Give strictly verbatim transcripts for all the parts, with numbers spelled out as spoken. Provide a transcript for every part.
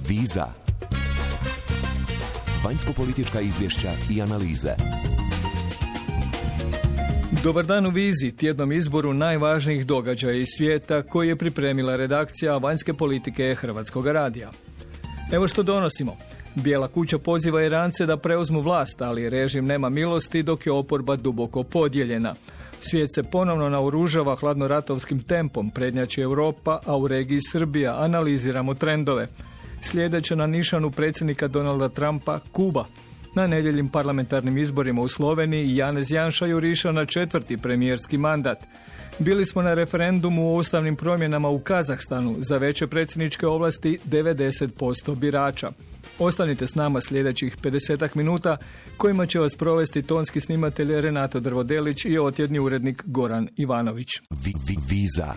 Viza. Vanjsko-politička izvješća i analize. Dobar dan u Vizi, tjednom izboru najvažnijih događaja iz svijeta koji je pripremila redakcija vanjske politike Hrvatskog radija. Evo što donosimo. Bijela kuća poziva Irance da preuzmu vlast, ali režim nema milosti dok je oporba duboko podijeljena. Svijet se ponovno naoružava hladnoratovskim tempom, prednjači Europa, a u regiji Srbija. Analiziramo trendove. Sljedeće na nišanu predsjednika Donalda Trumpa, Kuba. Na nedjeljim parlamentarnim izborima u Sloveniji Janez Janša juriša na četvrti premijerski mandat. Bili smo na referendumu o ustavnim promjenama u Kazahstanu, za veće predsjedničke ovlasti devedeset posto birača. Ostanite s nama sljedećih pedesetak minuta kojima će vas provesti tonski snimatelj Renato Drvodelić i otjedni urednik Goran Ivanović. Viza.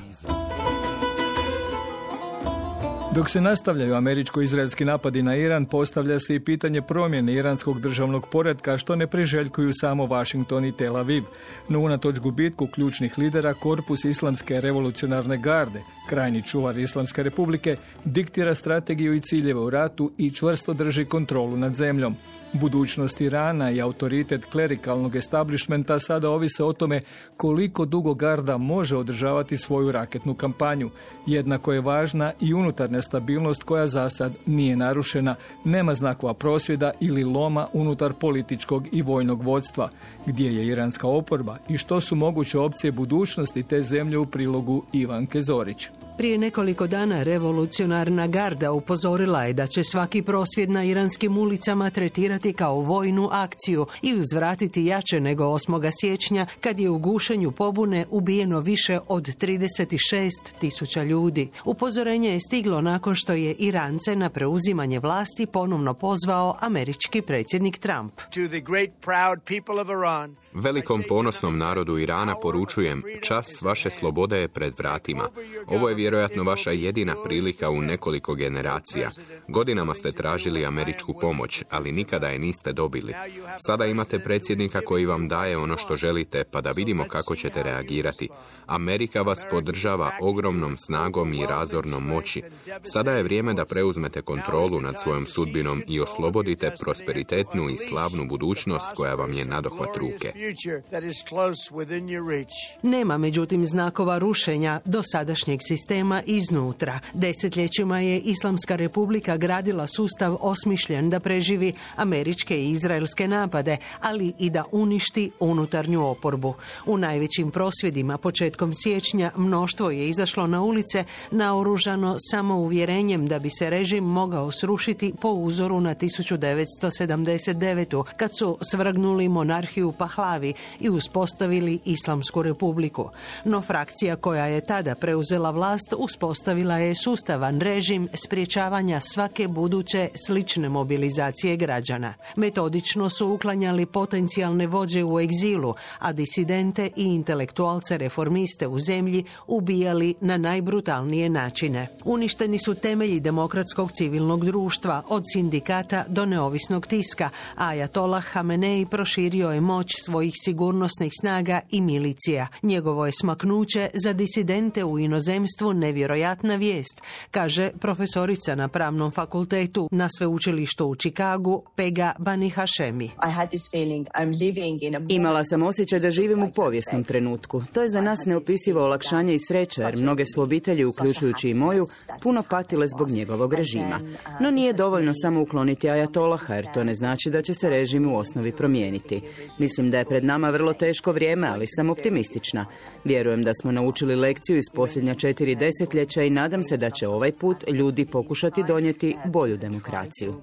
Dok se nastavljaju američko-izraelski napadi na Iran, postavlja se i pitanje promjene iranskog državnog poretka, što ne priželjkuju samo Washington i Tel Aviv. No unatoč gubitku ključnih lidera, korpus Islamske revolucionarne garde, krajnji čuvar Islamske republike, diktira strategiju i ciljeve u ratu i čvrsto drži kontrolu nad zemljom. Budućnost Irana i autoritet klerikalnog establishmenta sada ovise o tome koliko dugo garda može održavati svoju raketnu kampanju. Jednako je važna i unutarnja stabilnost koja za sad nije narušena. Nema znakova prosvjeda ili loma unutar političkog i vojnog vodstva. Gdje je iranska oporba i što su moguće opcije budućnosti te zemlje u prilogu Ivanke Zorić. Prije nekoliko dana revolucionarna garda upozorila je da će svaki prosvjed na iranskim ulicama tretirati kao vojnu akciju i uzvratiti jače nego osmog siječnja kad je u gušenju pobune ubijeno više od trideset šest tisuća ljudi. Upozorenje je stiglo nakon što je Irance na preuzimanje vlasti ponovno pozvao američki predsjednik Trump. Velikom ponosnom narodu Irana poručujem, čas vaše slobode je pred vratima. Ovo je vjerojatno vaša jedina prilika u nekoliko generacija. Godinama ste tražili američku pomoć, ali nikada je niste dobili. Sada imate predsjednika koji vam daje ono što želite, pa da vidimo kako ćete reagirati. Amerika vas podržava ogromnom snagom i razornom moći. Sada je vrijeme da preuzmete kontrolu nad svojom sudbinom i oslobodite prosperitetnu i slavnu budućnost koja vam je nadohvat ruke. Nema međutim znakova rušenja dosadašnjeg sistema iznutra. Desetljećima je Islamska republika gradila sustav osmišljen da preživi američke i izraelske napade, ali i da uništi unutarnju oporbu. U najvećim prosvjedima početkom siječnja mnoštvo je izašlo na ulice naoružano samo uvjerenjem da bi se režim mogao srušiti po uzoru na tisuću devetsto sedamdeset devetu. kad su svrgnuli monarhiju Pahlavi i uspostavili Islamsku republiku. No frakcija koja je tada preuzela vlast uspostavila je sustavan režim sprječavanja svake buduće slične mobilizacije građana. Metodično su uklanjali potencijalne vođe u egzilu, a disidente i intelektualce reformiste u zemlji ubijali na najbrutalnije načine. Uništeni su temelji demokratskog civilnog društva, od sindikata do neovisnog tiska, a Ajatollah Hamenei proširio je moć svojih sigurnosnih snaga i milicija. Njegovo je smaknuće za disidente u inozemstvu nevjerojatna vijest, kaže profesorica na Pravnom fakultetu na sveučilištu u Čikagu, Pega Bani Hashemi. Imala sam osjećaj da živim u povijesnom trenutku. To je za nas neopisivo olakšanje i sreća, jer mnoge su obitelji, uključujući i moju, puno patile zbog njegovog režima. No nije dovoljno samo ukloniti Ajatolaha, jer to ne znači da će se režim u osnovi promijeniti. Mislim da je pred nama vrlo teško vrijeme, ali sam optimistična. Vjerujem da smo naučili lekciju iz posljednja četiri desetljeća i nadam se da će ovaj put ljudi pokušati donijeti bolju demokraciju.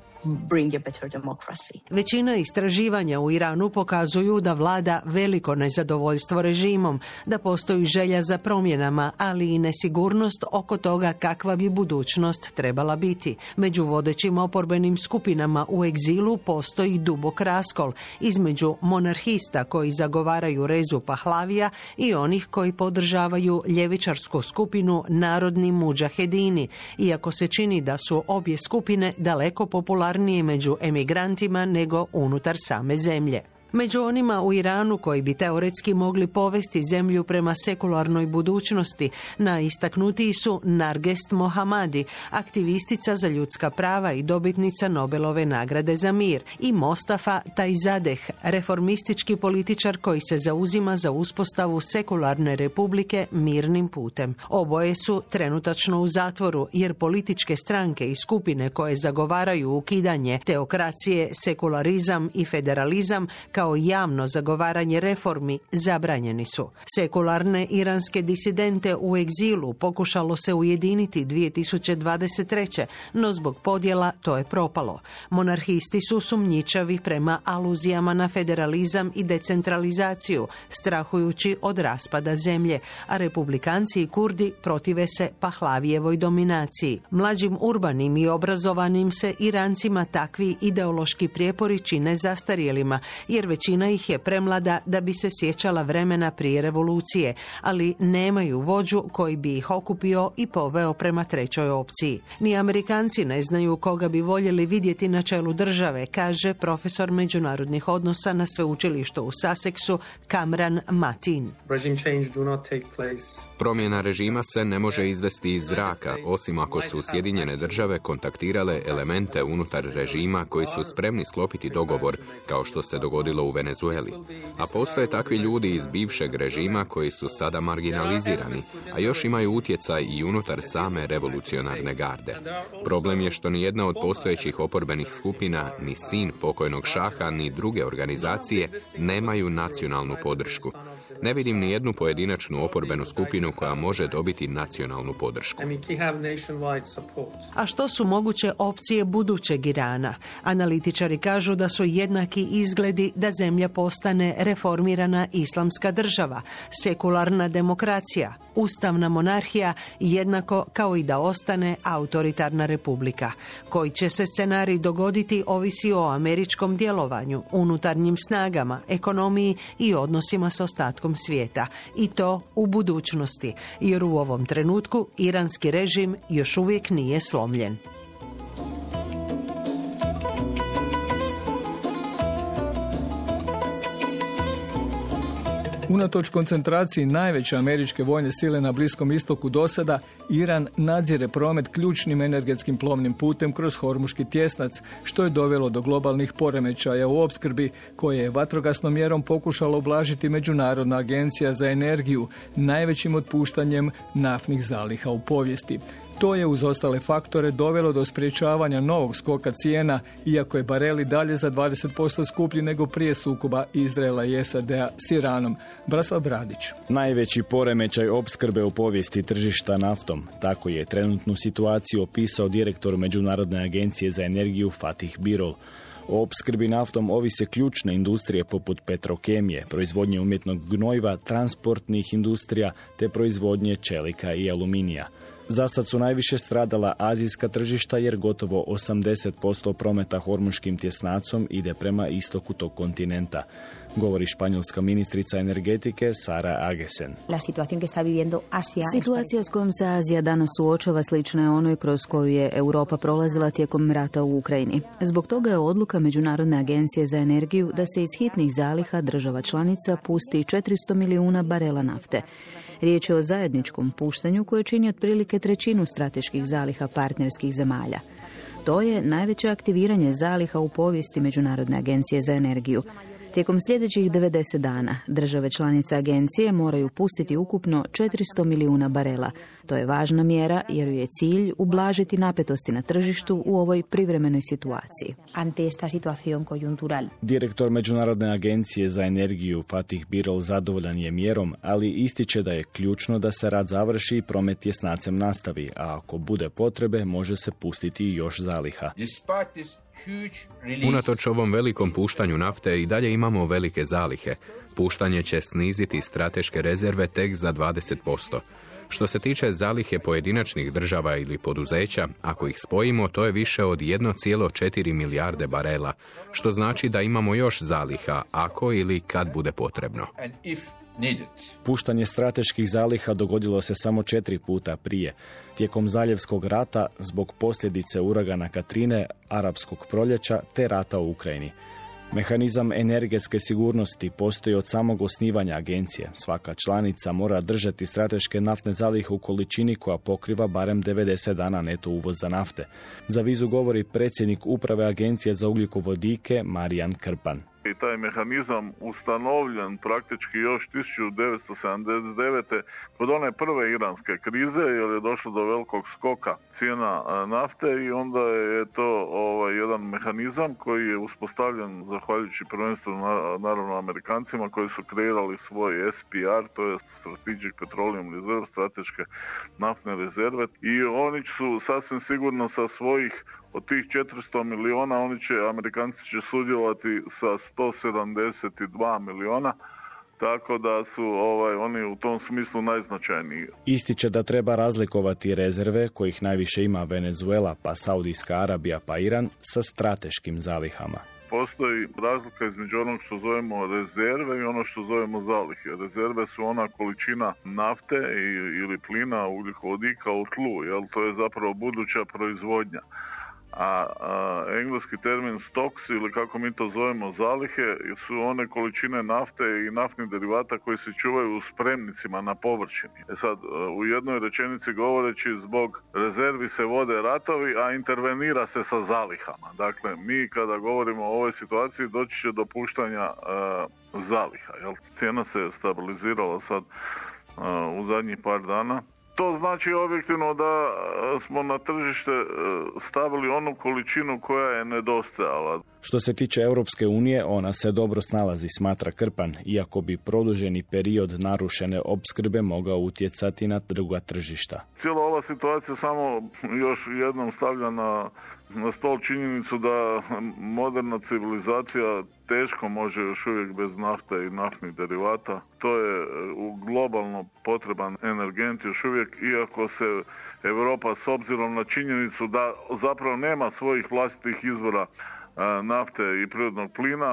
Većina istraživanja u Iranu pokazuju da vlada veliko nezadovoljstvo režimom, da postoji želja za promjenama, ali i nesigurnost oko toga kakva bi budućnost trebala biti. Među vodećim oporbenim skupinama u egzilu postoji dubok raskol između monarhista koji zagovaraju rezu Pahlavija i onih koji podržavaju ljevičarsku skupinu Narodni mudžahedini, iako se čini da su obje skupine daleko popularnije među emigrantima nego unutar same zemlje. Među onima u Iranu koji bi teoretski mogli povesti zemlju prema sekularnoj budućnosti, najistaknutiji su Nargest Mohammadi, aktivistica za ljudska prava i dobitnica Nobelove nagrade za mir, i Mostafa Tajzadeh, reformistički političar koji se zauzima za uspostavu sekularne republike mirnim putem. Oboje su trenutačno u zatvoru jer političke stranke i skupine koje zagovaraju ukidanje teokracije, sekularizam i federalizam kao javno zagovaranje reformi zabranjeni su. Sekularne iranske disidente u egzilu pokušalo se ujediniti dvije tisuće dvadeset treće. no zbog podjela to je propalo. Monarhisti su sumnjičavi prema aluzijama na federalizam i decentralizaciju, strahujući od raspada zemlje, a republikanci i Kurdi protive se Pahlavijevoj dominaciji. Mlađim urbanim i obrazovanim se Irancima takvi ideološki prijepori čine zastarjelima, jer većina ih je premlada da bi se sjećala vremena prije revolucije, ali nemaju vođu koji bi ih okupio i poveo prema trećoj opciji. Ni Amerikanci ne znaju koga bi voljeli vidjeti na čelu države, kaže profesor međunarodnih odnosa na sveučilištu u Sussexu Kamran Matin. Promjena režima se ne može izvesti iz zraka, osim ako su Sjedinjene države kontaktirale elemente unutar režima koji su spremni sklopiti dogovor, kao što se dogodilo u Venezueli. A postoje takvi ljudi iz bivšeg režima koji su sada marginalizirani, a još imaju utjecaj i unutar same revolucionarne garde. Problem je što ni jedna od postojećih oporbenih skupina, ni sin pokojnog šaha, ni druge organizacije nemaju nacionalnu podršku. Ne vidim ni jednu pojedinačnu oporbenu skupinu koja može dobiti nacionalnu podršku. A što su moguće opcije budućeg Irana? Analitičari kažu da su jednaki izgledi da zemlja postane reformirana islamska država, sekularna demokracija, ustavna monarhija, jednako kao i da ostane autoritarna republika. Koji će se scenarij dogoditi ovisi o američkom djelovanju, unutarnjim snagama, ekonomiji i odnosima s ostatkom svijeta. I to u budućnosti, jer u ovom trenutku iranski režim još uvijek nije slomljen. Unatoč koncentraciji najveće američke vojne sile na Bliskom istoku do sada, Iran nadzire promet ključnim energetskim plovnim putem kroz Hormuški tjesnac, što je dovelo do globalnih poremećaja u opskrbi, koje je vatrogasnom mjerom pokušala ublažiti Međunarodna agencija za energiju, najvećim otpuštanjem naftnih zaliha u povijesti. To je uz ostale faktore dovelo do sprječavanja novog skoka cijena, iako je barel i dalje za dvadeset posto skuplji nego prije sukoba Izraela i S A D-a s Iranom. Branislav Bradić. Najveći poremećaj opskrbe u povijesti tržišta naftom. Tako je trenutnu situaciju opisao direktor Međunarodne agencije za energiju Fatih Birol. O opskrbi naftom ovise ključne industrije poput petrokemije, proizvodnje umjetnog gnojiva, transportnih industrija te proizvodnje čelika i aluminija. Zasad su najviše stradala azijska tržišta jer gotovo osamdeset posto prometa Hormuškim tjesnacom ide prema istoku tog kontinenta, govori španjolska ministrica energetike Sara Agesen. Situacija s kojom se Azija danas suočava slična je onoj kroz koju je Europa prolazila tijekom rata u Ukrajini. Zbog toga je odluka Međunarodne agencije za energiju da se iz hitnih zaliha država članica pusti četiristo milijuna barela nafte. Riječ je o zajedničkom puštanju koje čini otprilike trećinu strateških zaliha partnerskih zemalja. To je najveće aktiviranje zaliha u povijesti Međunarodne agencije za energiju. Tijekom sljedećih devedeset dana države članice agencije moraju pustiti ukupno četiristo milijuna barela. To je važna mjera jer je cilj ublažiti napetosti na tržištu u ovoj privremenoj situaciji. Direktor Međunarodne agencije za energiju Fatih Birol zadovoljan je mjerom, ali ističe da je ključno da se rad završi i promet tjesnacem nastavi, a ako bude potrebe može se pustiti još zaliha. Unatoč ovom velikom puštanju nafte i dalje imamo velike zalihe. Puštanje će sniziti strateške rezerve tek za dvadeset posto. Što se tiče zalihe pojedinačnih država ili poduzeća, ako ih spojimo, to je više od jedna zarez četiri milijarde barela, što znači da imamo još zaliha ako ili kad bude potrebno. Puštanje strateških zaliha dogodilo se samo četiri puta prije, tijekom Zaljevskog rata zbog posljedice uragana Katrine, Arapskog proljeća te rata u Ukrajini. Mehanizam energetske sigurnosti postoji od samog osnivanja agencije. Svaka članica mora držati strateške naftne zalihe u količini koja pokriva barem devedeset dana neto uvoza nafte. Za Vizu govori predsjednik uprave Agencije za ugljikovodike Marijan Krpan. I taj mehanizam ustanovljen praktički još tisuću devetsto sedamdeset devete kod one prve iranske krize, jer je došlo do velikog skoka cijena nafte i onda je to ovaj, jedan mehanizam koji je uspostavljen zahvaljujući prvenstveno naravno Amerikancima koji su kreirali svoj S P R, to je Strategic Petroleum Reserve, strateške naftne rezerve, i oni su sasvim sigurno sa svojih od tih četiristo miliona, oni će, Amerikanci će sudjelovati sa sto sedamdeset dva miliona, tako da su ovaj, oni u tom smislu najznačajniji. Ističe da treba razlikovati rezerve, kojih najviše ima Venezuela, pa Saudijska Arabija, pa Iran, sa strateškim zalihama. Postoji razlika između onog što zovemo rezerve i ono što zovemo zalihe. Rezerve su ona količina nafte ili plina, ugljikovodika u tlu, jel? To je zapravo buduća proizvodnja. A, a engleski termin stocks, ili kako mi to zovemo zalihe, su one količine nafte i naftnih derivata koji se čuvaju u spremnicima na površini. E sad, u jednoj rečenici govoreći, zbog rezervi se vode ratovi, a intervenira se sa zalihama. Dakle, mi kada govorimo o ovoj situaciji doći će do puštanja a, zaliha. Jel? Cijena se stabilizirala sad a, u zadnjih par dana. To znači objektivno da smo na tržište stavili onu količinu koja je nedostajala. Što se tiče Europske unije, ona se dobro snalazi, smatra Krpan, iako bi produženi period narušene opskrbe mogao utjecati na druga tržišta. Cijela ova situacija samo još jednom stavlja na, na stol činjenicu da moderna civilizacija teško može još uvijek bez nafte i naftnih derivata. To je u globalno potreban energent još uvijek, iako se Europa s obzirom na činjenicu da zapravo nema svojih vlastitih izvora nafte i prirodnog plina,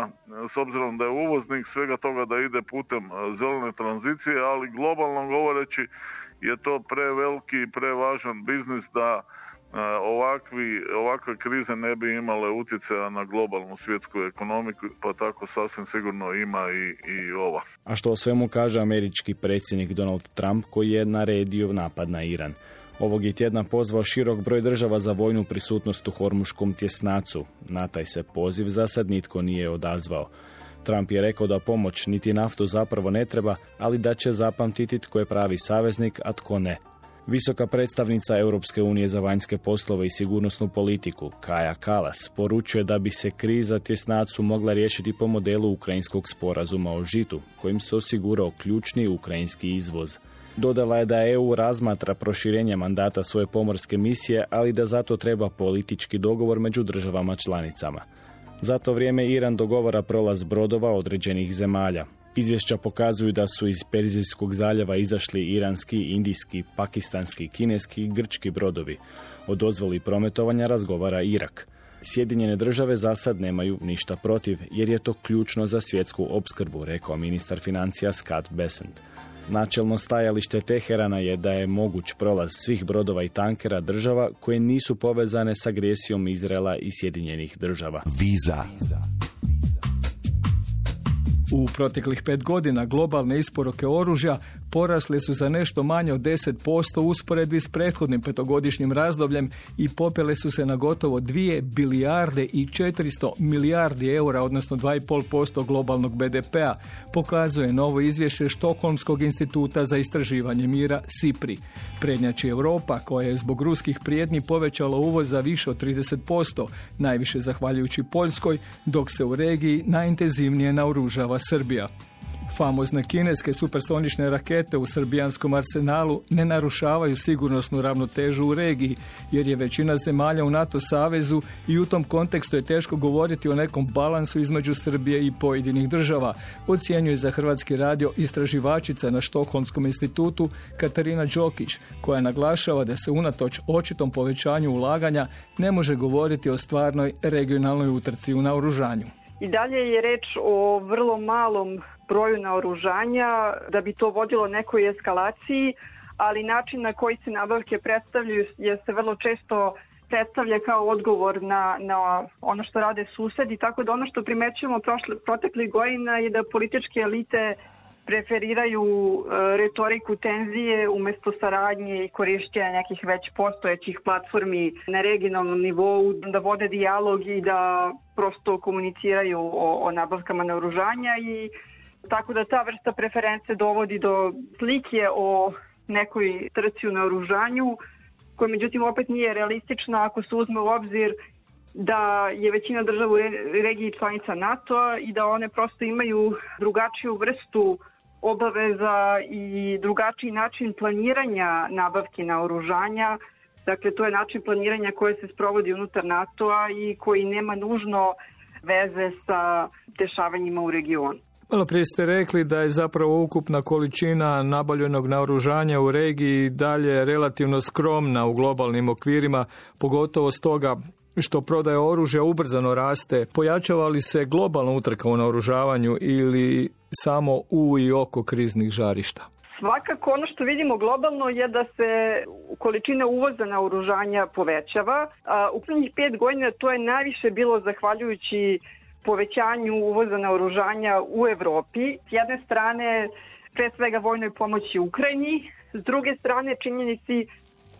s obzirom da je uvoznik svega toga da ide putem zelene tranzicije, ali globalno govoreći je to preveliki i prevažan biznis da ovakvi, ovakve krize ne bi imale utjecaja na globalnu svjetsku ekonomiku, pa tako sasvim sigurno ima i, i ova. A što o svemu kaže američki predsjednik Donald Trump, koji je naredio napad na Iran. Ovog je tjedna pozvao širok broj država za vojnu prisutnost u Hormuškom tjesnacu. Na taj se poziv za sad nitko nije odazvao. Trump je rekao da pomoć niti naftu zapravo ne treba, ali da će zapamtiti tko je pravi saveznik, a tko ne. Visoka predstavnica Europske unije za vanjske poslove i sigurnosnu politiku, Kaja Kallas, poručuje da bi se kriza tjesnacu mogla riješiti po modelu ukrajinskog sporazuma o žitu, kojim se osigurao ključni ukrajinski izvoz. Dodala je da E U razmatra proširenje mandata svoje pomorske misije, ali da zato treba politički dogovor među državama članicama. Za to vrijeme Iran dogovara prolaz brodova određenih zemalja. Izvješća pokazuju da su iz Perzijskog zaljeva izašli iranski, indijski, pakistanski, kineski i grčki brodovi. O dozvoli prometovanja razgovara Irak. Sjedinjene države za sad nemaju ništa protiv, jer je to ključno za svjetsku opskrbu, rekao ministar financija Scott Bessent. Načelno stajalište Teherana je da je moguć prolaz svih brodova i tankera država koje nisu povezane s agresijom Izraela i Sjedinjenih država. Viza. U proteklih pet godina globalne isporuke oružja porasle su za nešto manje od deset posto u usporedbi s prethodnim petogodišnjim razdobljem i popele su se na gotovo dvije bilijarde i četiristo milijardi eura, odnosno dva zarez pet posto globalnog B D P-a, pokazuje novo izvješće Štokholmskog instituta za istraživanje mira SIPRI. Prednjači Europa, koja je zbog ruskih prijetnji povećala uvoz za više od trideset posto, najviše zahvaljujući Poljskoj, dok se u regiji najintenzivnije naoružava Srbija. Famozne kineske supersonične rakete u srbijanskom arsenalu ne narušavaju sigurnosnu ravnotežu u regiji, jer je većina zemalja u NATO savezu i u tom kontekstu je teško govoriti o nekom balansu između Srbije i pojedinih država, ocjenjuje za Hrvatski radio istraživačica na Štokholmskom institutu Katarina Đokić, koja naglašava da se unatoč očitom povećanju ulaganja ne može govoriti o stvarnoj regionalnoj utrci u naoružanju. I dalje je reč o vrlo malom broju naoružanja, da bi to vodilo nekoj eskalaciji, ali način na koji se nabavke predstavljaju je se vrlo često predstavlja kao odgovor na, na ono što rade susedi, tako da ono što primećujemo prošle, proteklih godina je da političke elite preferiraju e, retoriku tenzije umjesto saradnje i korišćenja nekih već postojećih platformi na regionalnom nivou, da vode dijalog i da prosto komuniciraju o, o nabavkama naoružanja, i tako da ta vrsta preference dovodi do slike o nekoj trci u naoružanju, koja međutim opet nije realistična ako se uzme u obzir da je većina država u regiji članica NATO-a i da one prosto imaju drugačiju vrstu obaveza i drugačiji način planiranja nabavki naoružanja. Dakle, to je način planiranja koje se sprovodi unutar NATO-a i koji nema nužno veze sa dešavanjima u regionu. Malo prije ste rekli da je zapravo ukupna količina nabavljenog naoružanja u regiji dalje relativno skromna u globalnim okvirima, pogotovo stoga što prodaja oružja ubrzano raste. Pojačava li se globalna utrka u naoružavanju ili samo u i oko kriznih žarišta? Svakako ono što vidimo globalno je da se količina uvoza naoružanja povećava. U prvih pet godina to je najviše bilo zahvaljujući povećanju uvoza naoružanja u Evropi. S jedne strane, pre svega vojnoj pomoći Ukrajini, s druge strane činjenici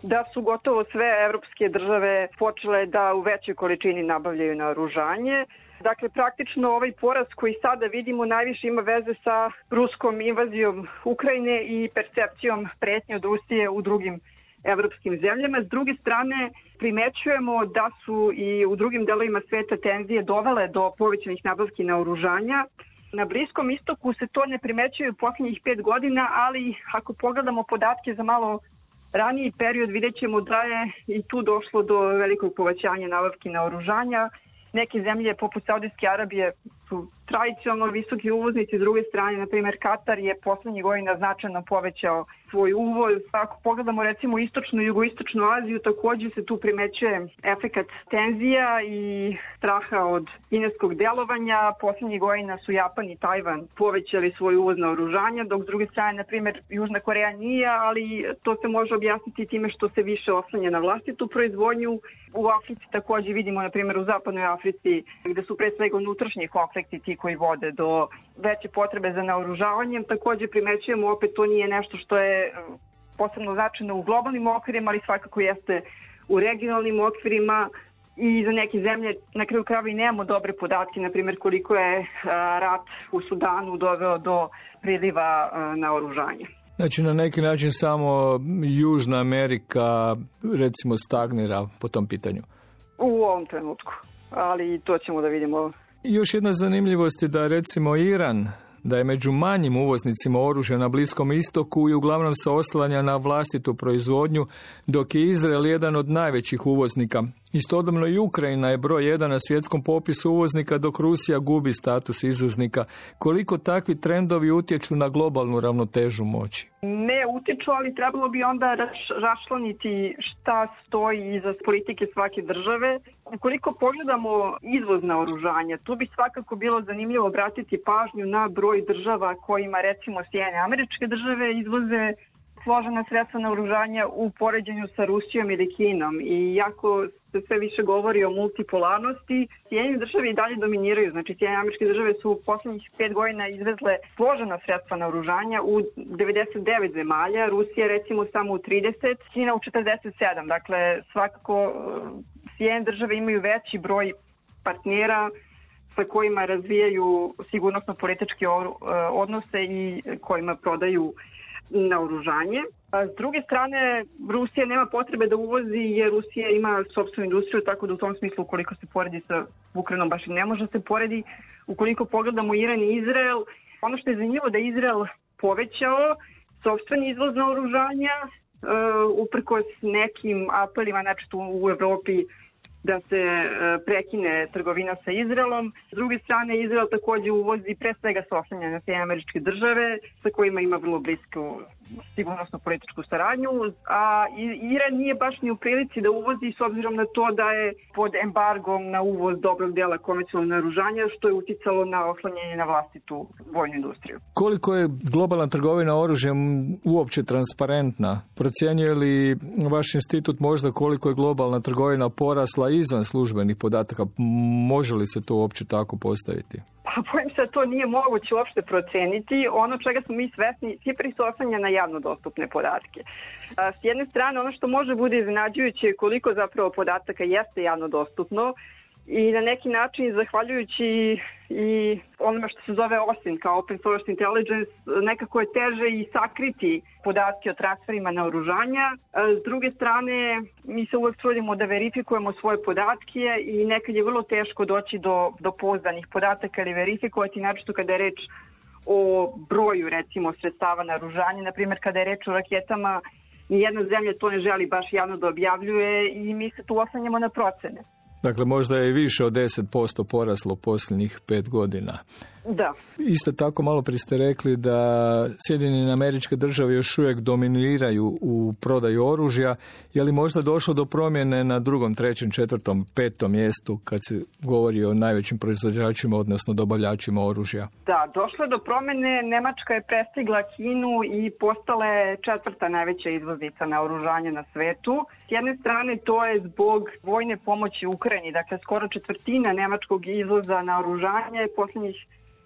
da su gotovo sve evropske države počele da u većoj količini nabavljaju naoružanje. Dakle, praktično ovaj porast koji sada vidimo najviše ima veze sa ruskom invazijom Ukrajine i percepcijom pretnje od Rusije u drugim evropskim zemljama. S druge strane, primećujemo da su i u drugim delovima sveta tenzije dovele do povećanih nabavki naoružanja. Na Bliskom istoku se to ne primećuje u posljednjih pet godina, ali ako pogledamo podatke za malo raniji period, vidjet ćemo da je i tu došlo do velikog povećanja nabavki naoružanja. Neke zemlje poput Saudijske Arabije su tradicionalno visoki uvoznici, s druge strane, na primjer, Katar je poslednjih godina značajno povećao svoj uvoz. Ako pogledamo recimo istočnu i jugoistočnu Aziju, također se tu primećuje efekat tenzija i straha od kineskog delovanja. Poslednjih godina su Japan i Tajvan povećali svoj uvoz naoružanja, dok s druge strane, na primjer, Južna Koreja nije, ali to se može objasniti time što se više oslanja na vlastitu proizvodnju. U Africi također vidimo, na primjer, u zapadnoj Africi, gde su pre svega unutrašnji konflikti ti koji vode do veće potrebe za naoružavanjem. Također primećujemo, opet to nije nešto što je posebno značajno u globalnim okvirima, ali svakako jeste u regionalnim okvirima, i za neke zemlje na kraju krajeva i nemamo dobre podatke, na primjer koliko je rat u Sudanu doveo do priliva naoružanja. Znači, na neki način samo Južna Amerika, recimo, stagnira po tom pitanju. U ovom trenutku, ali to ćemo da vidimo. I još jedna zanimljivost je da, recimo, Iran, da je među manjim uvoznicima oružja na Bliskom istoku i uglavnom se oslanja na vlastitu proizvodnju, dok je Izrael jedan od najvećih uvoznika. Istodobno i Ukrajina je broj jedan na svjetskom popisu uvoznika, dok Rusija gubi status izvoznika. Koliko takvi trendovi utječu na globalnu ravnotežu moći? Ne utječu, ali trebalo bi onda raščlaniti šta stoji iza politike svake države. Ukoliko pogledamo izvoz naoružanja, tu bi svakako bilo zanimljivo obratiti pažnju na broj država kojima, recimo, Sjedinjene Američke Države izvoze složena sredstva naoružanja u poređenju sa Rusijom ili Kinom. I jako se sve više govori o multipolarnosti, Sjedinjene Države i dalje dominiraju. Znači, Sjedinjene Američke Države su u posljednjih pet godina izvezle složena sredstva naoružanja u devedeset devet zemalja, Rusija recimo samo u trideset, Kina u četrdeset sedam. Dakle, svakako Sjedinjene Države imaju veći broj partnera sa kojima razvijaju sigurnosno-političke odnose i kojima prodaju naoružanje. A s druge strane, Rusija nema potrebe da uvozi jer Rusija ima sopstvenu industriju, tako da u tom smislu, ukoliko se poredi sa Ukrajinom, baš i ne može se poredi. Ukoliko pogledamo Iran i Izrael, ono što je zanimljivo da je Izrael povećao sopstveni izvoz naoružanja, uh, uprkos nekim apelima, znači tu u Evropi, da se prekine trgovina sa Izraelom. S druge strane, Izrael također uvozi pre svega se oslanja na Sjedinjene Američke Države, sa kojima ima vrlo blisku sigurnosnu političku saradnju, a Iran nije baš ni u prilici da uvozi s obzirom na to da je pod embargom na uvoz dobrog dela komercijalnog naoružanja, što je uticalo na oslanjanje na vlastitu vojnu industriju. Koliko je globalna trgovina oružjem uopće transparentna? Procjenjuje li vaš institut možda koliko je globalna trgovina porasla izvan službenih podataka? Može li se to uopće tako postaviti? Pa bojim se da to nije moguće uopšte proceniti. Ono čega smo mi svesni, Kipri se oslanja na javno dostupne podatke. S jedne strane, ono što može bude iznenađujuće je koliko zapravo podataka jeste javno dostupno i na neki način, zahvaljujući i onome što se zove O S I N kao Open Source Intelligence, nekako je teže i sakriti podatke o transferima naoružanja. S druge strane, mi se uvek trudimo da verifikujemo svoje podatke i nekad je vrlo teško doći do, do pouzdanih podataka ili verifikovati, naročito kada je reč o broju, recimo, sredstava naoružanja. Naprimjer, kada je reč o raketama, nijedna zemlja to ne želi baš javno da objavljuje i mi se tu oslanjamo na procene. Dakle, možda je više od deset posto poraslo posljednjih pet godina. Da. Isto tako, malo prije ste rekli da Sjedinjene Američke Države još uvijek dominiraju u prodaju oružja. Je li možda došlo do promjene na drugom, trećem, četvrtom, petom mjestu kad se govori o najvećim proizvođačima, odnosno dobavljačima oružja? Da, došlo je do promjene. Nemačka je prestigla Kinu i postala je četvrta najveća izvoznica naoružanja na svetu. S jedne strane, to je zbog vojne pomoći Ukrajini. Dakle, skoro četvrtina nemačkog izvoza naoružanja je posljednjih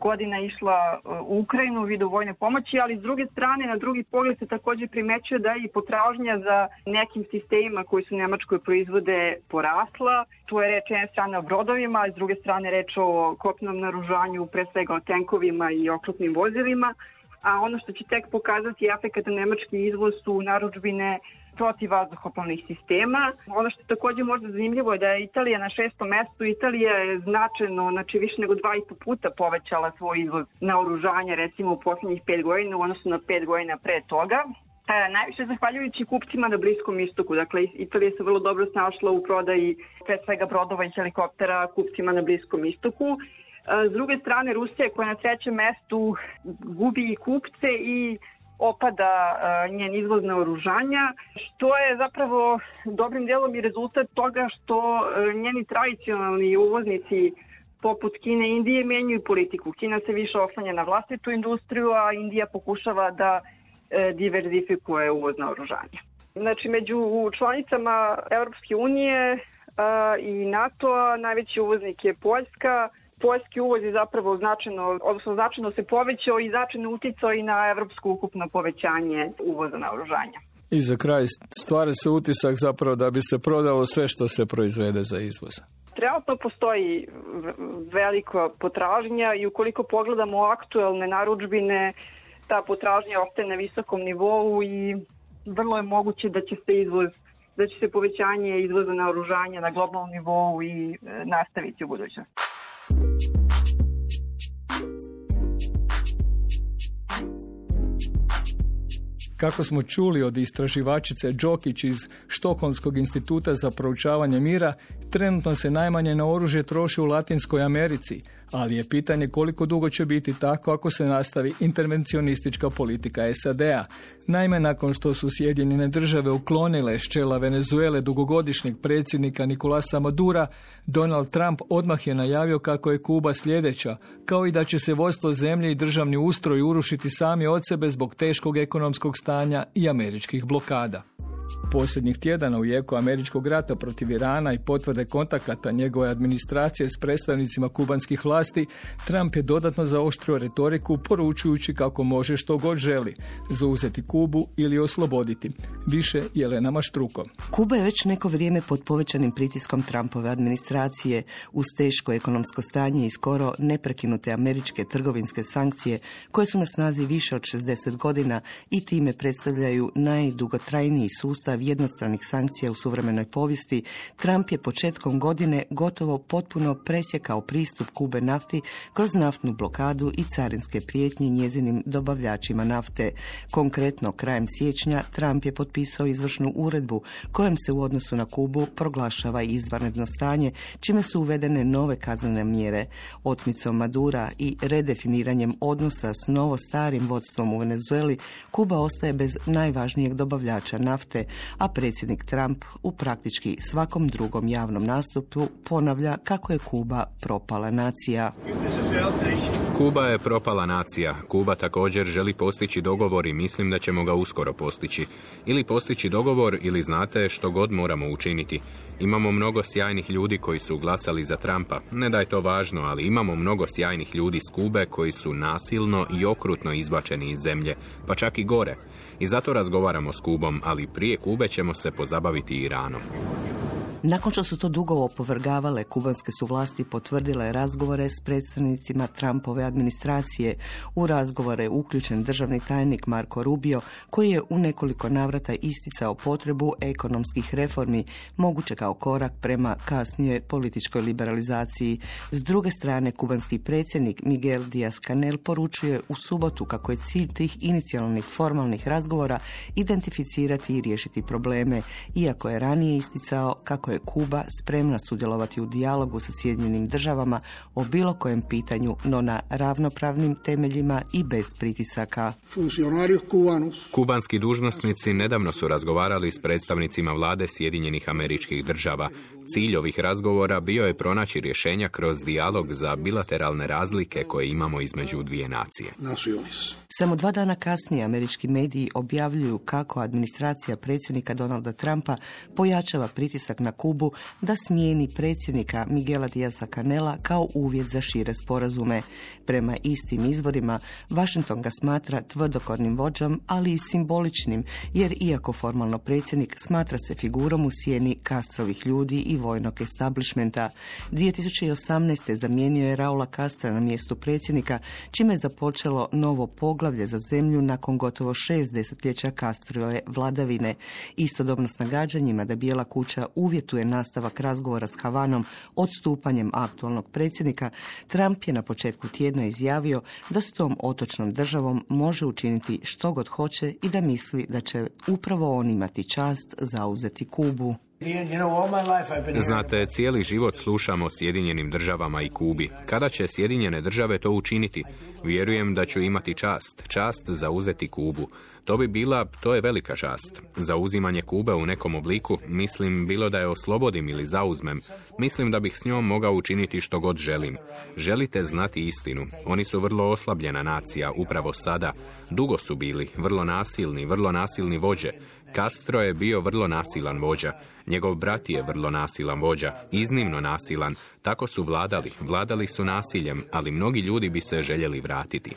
godina išla u Ukrajinu u vidu vojne pomoći, ali s druge strane, na drugi pogled se također primećuje da je i potražnja za nekim sistemima koji su Nemačkoj proizvode porasla. Tu je reč jedne strane o brodovima, a s druge strane reč o kopnenom naoružanju, pre svega o tenkovima i oklopnim vozilima. A ono što će tek pokazati efekat na nemački izvoz su narudžbine protiv vazduhoplovnih sistema. Ono što je također možda zanimljivo je da je Italija na šestom mestu. Italija je značajno, znači više nego dva i po puta povećala svoj izvoz naoružanja, recimo u posljednjih pet godina, u odnosu na pet godina pre toga. E, najviše zahvaljujući kupcima na Bliskom istoku. Dakle, Italija se vrlo dobro snašla u prodaji pre svega brodova i helikoptera kupcima na Bliskom istoku. S druge strane, Rusija koja na trećem mestu gubi i kupce i opada uh, njen izvoz naoružanja, što je zapravo dobrim dijelom i rezultat toga što uh, njeni tradicionalni uvoznici poput Kine i Indije menjaju politiku. Kina se više oslanja na vlastitu industriju, a Indija pokušava da uh, diverzifikuje uvoz naoružanja. Znači, među članicama Europske unije uh, i NATO-a najveći uvoznik je Poljska. Poljski uvoz je zapravo značajno, odnosno značajno se povećao i značajno uticao i na evropsko ukupno povećanje uvoza naoružanja. I za kraj stvara se utisak zapravo da bi se prodalo sve što se proizvede za izvoz. Trenutno postoji velika potražnja i ukoliko pogledamo aktuelne narudžbine, ta potražnja ostaje na visokom nivou i vrlo je moguće da će se izvoz, da će se povećanje izvoza naoružanja na globalnom nivou i nastaviti u budućnosti. Kako smo čuli od istraživačice Đokić iz Štokholmskog instituta za proučavanje mira, trenutno se najmanje na oružje troši u Latinskoj Americi, ali je pitanje koliko dugo će biti tako ako se nastavi intervencionistička politika S A D-a. Naime, nakon što su Sjedinjene Države uklonile s čela Venezuele dugogodišnjeg predsjednika Nicolasa Madura, Donald Trump odmah je najavio kako je Kuba sljedeća, kao i da će se vodstvo zemlje i državni ustroj urušiti sami od sebe zbog teškog ekonomskog stanja i američkih blokada. Posljednjih tjedana u jeku američkog rata protiv Irana i potvrde kontakata njegove administracije s predstavnicima kubanskih vlasti, Trump je dodatno zaoštrio retoriku poručujući kako može što god želi, zauzeti Kubu ili osloboditi. Više Jelena Maštruko. Kuba je već neko vrijeme pod povećanim pritiskom Trumpove administracije uz teško ekonomsko stanje i skoro neprekinute američke trgovinske sankcije koje su na snazi više od šezdeset godina i time predstavljaju najdugotrajniji sustav sustav jednostranih sankcija u suvremenoj povijesti, Trump je početkom godine gotovo potpuno presjekao pristup Kube nafti kroz naftnu blokadu i carinske prijetnje njezinim dobavljačima nafte. Konkretno, krajem siječnja Trump je potpisao izvršnu uredbu kojom se u odnosu na Kubu proglašava izvanredno stanje, čime su uvedene nove kaznene mjere. Otmicom Madura i redefiniranjem odnosa s novo starim vodstvom u Venezueli, Kuba ostaje bez najvažnijeg dobavljača nafte, a predsjednik Trump u praktički svakom drugom javnom nastupu ponavlja kako je Kuba propala nacija. Kuba je propala nacija. Kuba također želi postići dogovor i mislim da ćemo ga uskoro postići. Ili postići dogovor ili znate što god moramo učiniti. Imamo mnogo sjajnih ljudi koji su glasali za Trumpa. Ne da je to važno, ali imamo mnogo sjajnih ljudi s Kube koji su nasilno i okrutno izbačeni iz zemlje, pa čak i gore. I zato razgovaramo s Kubom, ali prije Kube ćemo se pozabaviti Iranom. Nakon što su to dugo opovrgavale, kubanske su vlasti potvrdile razgovore s predstavnicima Trumpove administracije. U razgovore je uključen državni tajnik Marco Rubio, koji je u nekoliko navrata isticao potrebu ekonomskih reformi, moguće kao korak prema kasnijoj političkoj liberalizaciji. S druge strane, kubanski predsjednik Miguel Díaz-Canel poručuje u subotu kako je cilj tih inicijalnih formalnih razgovora identificirati i riješiti probleme, iako je ranije isticao kako je Kuba spremna sudjelovati u dijalogu sa Sjedinjenim državama o bilo kojem pitanju, no na ravnopravnim temeljima i bez pritisaka. Kubanski dužnosnici nedavno su razgovarali s predstavnicima vlade Sjedinjenih Američkih Država. Cilj ovih razgovora bio je pronaći rješenja kroz dijalog za bilateralne razlike koje imamo između dvije nacije. Samo dva dana kasnije američki mediji objavljuju kako administracija predsjednika Donalda Trumpa pojačava pritisak na Kubu da smijeni predsjednika Miguela Díaza-Canela kao uvjet za šire sporazume. Prema istim izvorima, Washington ga smatra tvrdokornim vođom, ali i simboličnim, jer iako formalno predsjednik, smatra se figurom u sjeni Castrovih ljudi i vojnog establishmenta. dvije tisuće osamnaeste. zamijenio je Raula Castra na mjestu predsjednika, čime je započelo novo poglavlje za zemlju nakon gotovo šest desetljeća Castrove vladavine. Istodobno s nagađanjima da Bijela kuća uvjetuje nastavak razgovora s Havanom odstupanjem aktualnog predsjednika, Trump je na početku tjedna izjavio da s tom otočnom državom može učiniti što god hoće i da misli da će upravo on imati čast zauzeti Kubu. Znate, cijeli život slušamo o Sjedinjenim državama i Kubi. Kada će Sjedinjene države to učiniti? Vjerujem da ću imati čast, čast zauzeti Kubu. To bi bila, to je velika čast. Zauzimanje Kube u nekom obliku, mislim, bilo da je oslobodim ili zauzmem, mislim da bih s njom mogao učiniti što god želim. Želite znati istinu. Oni su vrlo oslabljena nacija, upravo sada. Dugo su bili, vrlo nasilni, vrlo nasilni vođe. Castro je bio vrlo nasilan vođa. Njegov brat je vrlo nasilan vođa, iznimno nasilan. Tako su vladali, vladali su nasiljem, ali mnogi ljudi bi se željeli vratiti.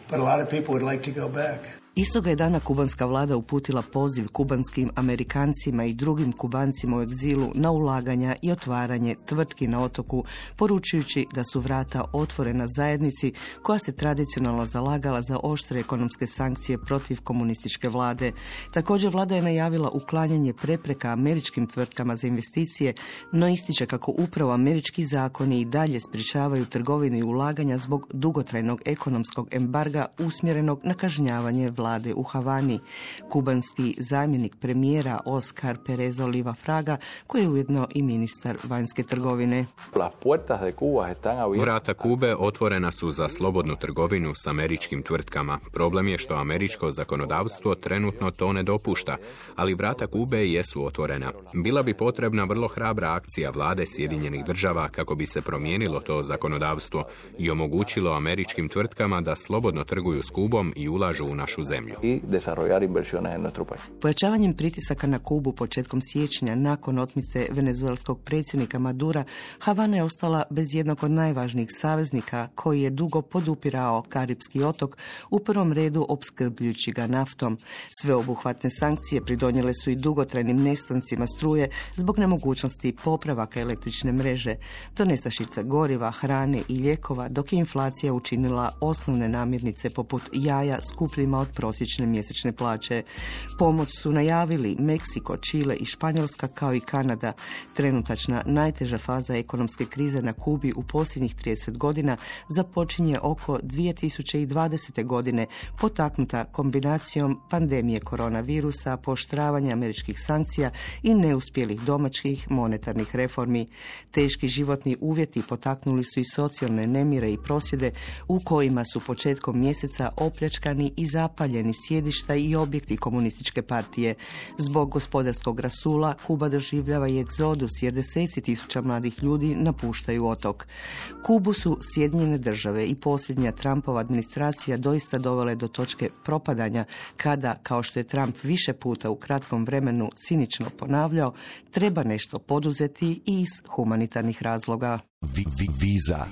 Istoga je dana kubanska vlada uputila poziv kubanskim Amerikancima i drugim Kubancima u egzilu na ulaganja i otvaranje tvrtki na otoku, poručujući da su vrata otvorena zajednici koja se tradicionalno zalagala za oštre ekonomske sankcije protiv komunističke vlade. Također vlada je najavila uklanjanje prepreka američkim tvrtkama za investicije, no ističe kako upravo američki zakoni i dalje sprječavaju trgovinu i ulaganja zbog dugotrajnog ekonomskog embarga usmjerenog na kažnjavanje vlade u Havani. Kubanski zamjenik premijera Oscar Perez Oliva Fraga, koji je ujedno i ministar vanjske trgovine. Vrata Kube otvorena su za slobodnu trgovinu s američkim tvrtkama. Problem je što američko zakonodavstvo trenutno to ne dopušta, ali vrata Kube jesu otvorena. Bila bi potrebna vrlo hrabra akcija vlade Sjedinjenih država kako bi se promijenilo to zakonodavstvo i omogućilo američkim tvrtkama da slobodno trguju s Kubom i ulažu u našu zemlju. Pojačavanjem pritisaka na Kubu početkom siječnja nakon otmice venezuelskog predsjednika Madura, Havana je ostala bez jednog od najvažnijih saveznika koji je dugo podupirao Karipski otok, u prvom redu opskrbljujući ga naftom. Sveobuhvatne sankcije pridonijele su i dugotrajnim nestancima struje zbog nemogućnosti popravaka električne mreže. Do nestašice goriva, hrane i lijekova, dok je inflacija učinila osnovne namirnice poput jaja skupljima od prosječne mjesečne plaće. Pomoć su najavili Meksiko, Čile i Španjolska kao i Kanada. Trenutačna najteža faza ekonomske krize na Kubi u posljednjih trideset godina započinje oko dvije tisuće dvadesete. godine, potaknuta kombinacijom pandemije koronavirusa, pooštravanja američkih sankcija i neuspjelih domaćih monetarnih reformi. Teški životni uvjeti potaknuli su i socijalne nemire i prosvjede u kojima su početkom mjeseca opljačkani i zapaljeni sjedišta i objekti komunističke partije. Zbog gospodarskog rasula Kuba doživljava i egzodus jer deseci tisuća mladih ljudi napuštaju otok. Kubu su Sjedinjene države i posljednja Trumpova administracija doista dovele do točke propadanja kada, kao što je Trump više puta u kratkom vremenu cinično ponavljao, treba nešto poduzeti i iz humanitarnih razloga. Vi, vi, viza.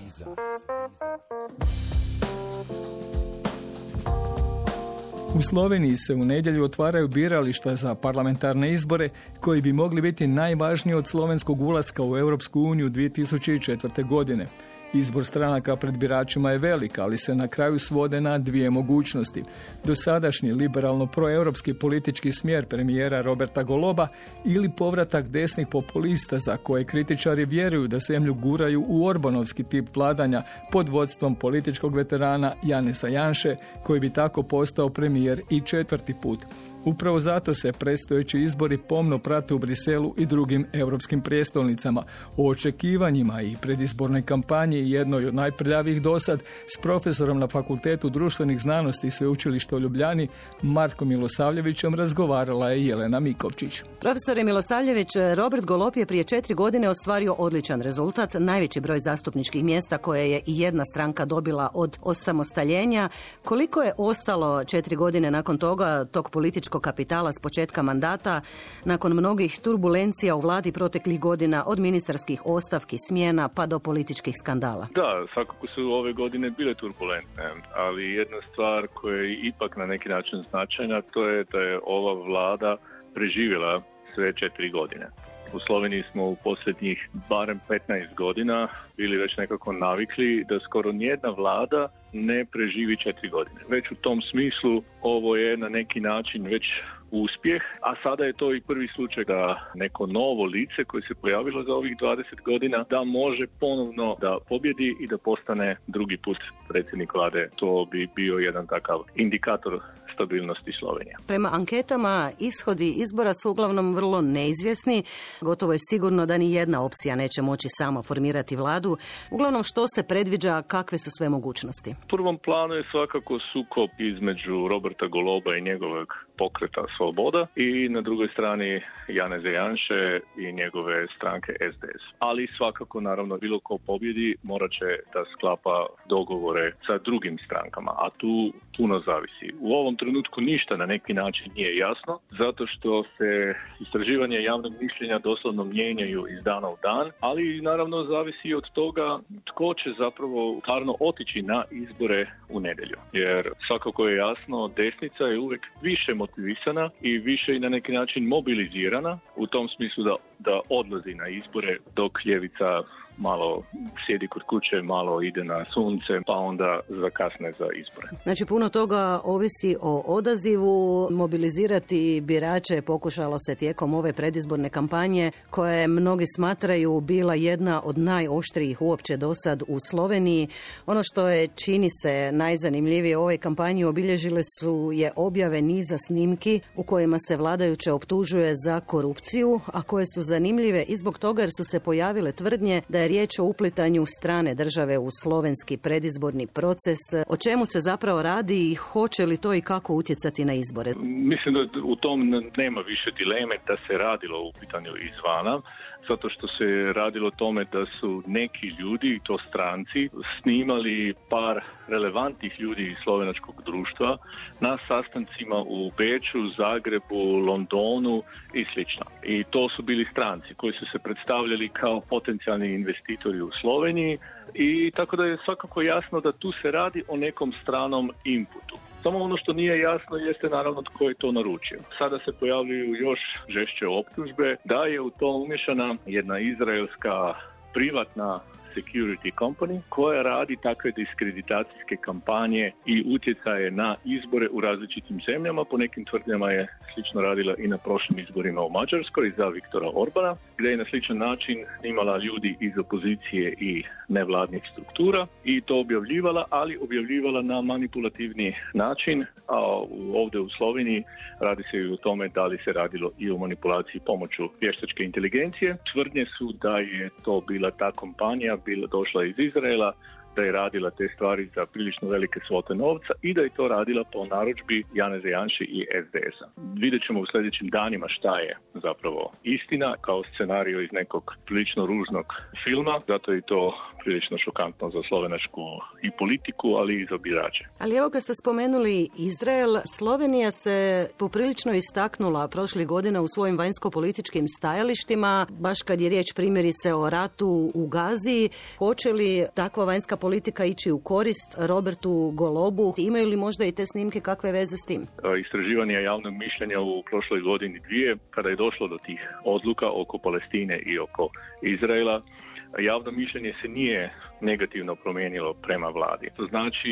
U Sloveniji se u nedjelju otvaraju birališta za parlamentarne izbore koji bi mogli biti najvažniji od slovenskog ulaska u Europsku uniju dvije tisuće četvrte. godine. Izbor stranaka pred biračima je velik, ali se na kraju svode na dvije mogućnosti. Dosadašnji liberalno-proeuropski politički smjer premijera Roberta Goloba ili povratak desnih populista za koje kritičari vjeruju da zemlju guraju u orbanovski tip vladanja pod vodstvom političkog veterana Janeza Janše, koji bi tako postao premijer i četvrti put. Upravo zato se predstojeći izbori pomno prate u Briselu i drugim europskim prijestolnicama. O očekivanjima i predizbornoj kampanji, jednoj od najprljavijih dosad, s profesorom na Fakultetu društvenih znanosti i Sveučilišta u Ljubljani, Markom Milosavljevićem, razgovarala je Jelena Mikovčić. Profesore Milosavljević, Robert Golob je prije četiri godine ostvario odličan rezultat, najveći broj zastupničkih mjesta koje je i jedna stranka dobila od osamostaljenja. Koliko je ostalo četiri godine nakon toga tog političkog kapitala s početka mandata, nakon mnogih turbulencija u vladi proteklih godina, od ministarskih ostavki, smjena pa do političkih skandala? Da, svakako su ove godine bile turbulentne, ali jedna stvar koja je ipak na neki način značajna, to je da je ova vlada preživjela sve četiri godine. U Sloveniji smo u posljednjih barem petnaest godina bili već nekako navikli da skoro nijedna vlada ne preživi četiri godine. Već u tom smislu ovo je na neki način već uspjeh, a sada je to i prvi slučaj da neko novo lice koje se pojavilo za ovih dvadeset godina da može ponovno da pobjedi i da postane drugi put predsjednik vlade. To bi bio jedan takav indikator stabilnosti Slovenije. Prema anketama ishodi izbora su uglavnom vrlo neizvjesni. Gotovo je sigurno da ni jedna opcija neće moći sama formirati vladu. Uglavnom, što se predviđa, kakve su sve mogućnosti? U prvom planu je svakako sukob između Roberta Goloba i njegovog pokreta Sloboda i na drugoj strani Janeza Janše i njegove stranke es de es. Ali svakako, naravno, bilo ko pobjedi morat će da sklapa dogovore sa drugim strankama, a tu puno zavisi. U ovom trenutku ništa na neki način nije jasno, zato što se istraživanje javnog mišljenja doslovno mijenjaju iz dana u dan, ali naravno zavisi od toga tko će zapravo stvarno otići na izbore u nedjelju. Jer svakako je jasno, desnica je uvijek više motivisana i više i na neki način mobilizirana u tom smislu da, da odlazi na izbore, dok ljevica malo sjedi kod kuće, malo ide na sunce, pa onda zakasne za izbore. Znači, puno toga ovisi o odazivu. Mobilizirati birače pokušalo se tijekom ove predizborne kampanje, koje mnogi smatraju bila jedna od najoštrijih uopće dosad u Sloveniji. Ono što je, čini se, najzanimljivije u ovoj kampanji obilježile su je objave niza snimki u kojima se vladajuće optužuje za korupciju, a koje su zanimljive i zbog toga jer su se pojavile tvrdnje da je riječ o uplitanju strane države u slovenski predizborni proces. O čemu se zapravo radi i hoće li to i kako utjecati na izbore? Mislim da u tom nema više dileme da se radilo o uplitanju izvana, zato što se radilo o tome da su neki ljudi, to stranci, snimali par relevantnih ljudi iz slovenačkog društva na sastancima u Beču, Zagrebu, Londonu i slično. I to su bili stranci koji su se predstavljali kao potencijalni investitori u Sloveniji i tako da je svakako jasno da tu se radi o nekom stranom inputu. Samo ono što nije jasno jeste naravno tko je to naručio. Sada se pojavljuju još žešće optužbe da je u to umješana jedna izraelska privatna Security Company koja radi takve diskreditacijske kampanje i utjecaje na izbore u različitim zemljama. Po nekim tvrdnjama je slično radila i na prošlim izborima u Mađarskoj za Viktora Orbana, gdje je na sličan način imala ljudi iz opozicije i nevladnih struktura i to objavljivala, ali objavljivala na manipulativni način, a ovdje u Sloveniji radi se i o tome da li se radilo i o manipulaciji pomoću vještačke inteligencije. Tvrdnje su da je to bila ta kompanija, bila došla iz Izraela, da je radila te stvari za prilično velike svote novca i da je to radila po narudžbi Janeza Janše i es de es-a. Vidjet ćemo u sljedećim danima šta je zapravo istina kao scenario iz nekog prilično ružnog filma, zato je to prilično šokantno za slovenačku i politiku, ali i za birače. Ali evo kad ste spomenuli Izrael, Slovenija se poprilično istaknula prošlih godina u svojim vanjsko-političkim stajalištima, baš kad je riječ primjerice o ratu u Gazi. Hoće li takva vanjska politika ići u korist Robertu Golobu? Imaju li možda i te snimke kakve veze s tim? Istraživanja javnog mišljenja u prošloj godini dvije, kada je došlo do tih odluka oko Palestine i oko Izraela, javno mišljenje se nije negativno promijenilo prema vladi. To znači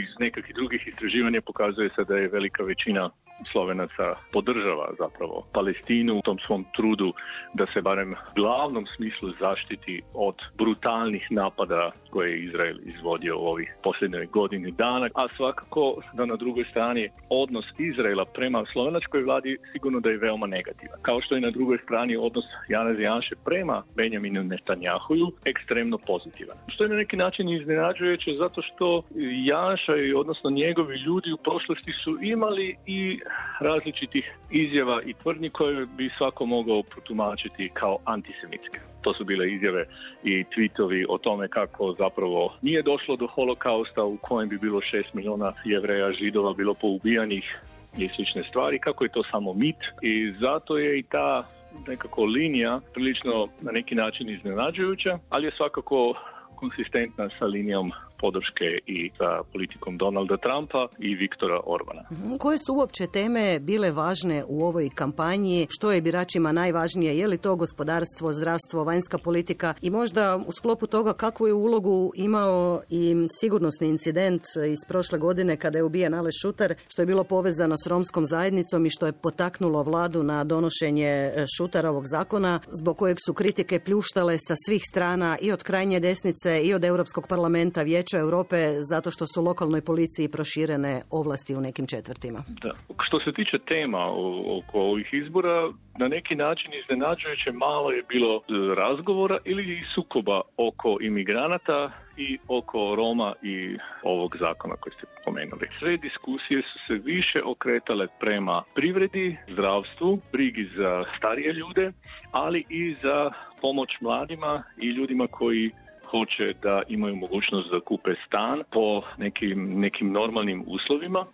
iz nekakvih drugih istraživanja pokazuje se da je velika većina Slovenaca podržava zapravo Palestinu u tom svom trudu da se barem u glavnom smislu zaštiti od brutalnih napada koje je Izrael izvodio u ovih posljednjoj godini dana, a svakako da na drugoj strani odnos Izraela prema slovenačkoj vladi sigurno da je veoma negativan. Kao što je na drugoj strani odnos Janeza Janše prema Benjaminu Netanjahuju ekstremno pozitivan. Što je na neki način iznenađujuće zato što Janša i odnosno njegovi ljudi u prošlosti su imali i različitih izjava i tvrdnji koje bi svako mogao protumačiti kao antisemitske. To su bile izjave i tweetovi o tome kako zapravo nije došlo do holokausta u kojem bi bilo šest milijuna Jevreja, Židova bilo poubijanih i slične stvari, kako je to samo mit i zato je i ta nekako linija prilično na neki način iznenađujuća, ali je svakako konsistentna sa linijom podrške i sa politikom Donalda Trumpa i Viktora Orbana. Koje su uopće teme bile važne u ovoj kampanji? Što je biračima najvažnije? Je li to gospodarstvo, zdravstvo, vanjska politika? I možda u sklopu toga kakvu je ulogu imao i sigurnosni incident iz prošle godine kada je ubijen Aleš Šutar, što je bilo povezano s romskom zajednicom i što je potaknulo vladu na donošenje Šutarovog zakona, zbog kojeg su kritike pljuštale sa svih strana i od krajnje desnice i od Europskog parlamenta, Vijeća Europe, zato što su lokalnoj policiji proširene ovlasti u nekim četvrtima. Da. Što se tiče tema oko ovih izbora, na neki način iznenađujuće malo je bilo razgovora ili sukoba oko imigranata i oko Roma i ovog zakona koji ste pomenuli. Sve diskusije su se više okretale prema privredi, zdravstvu, brigi za starije ljude, ali i za pomoć mladima i ljudima koji hoće da imaju mogućnost da kupe stan po nekim, nekim normalnim uslovima.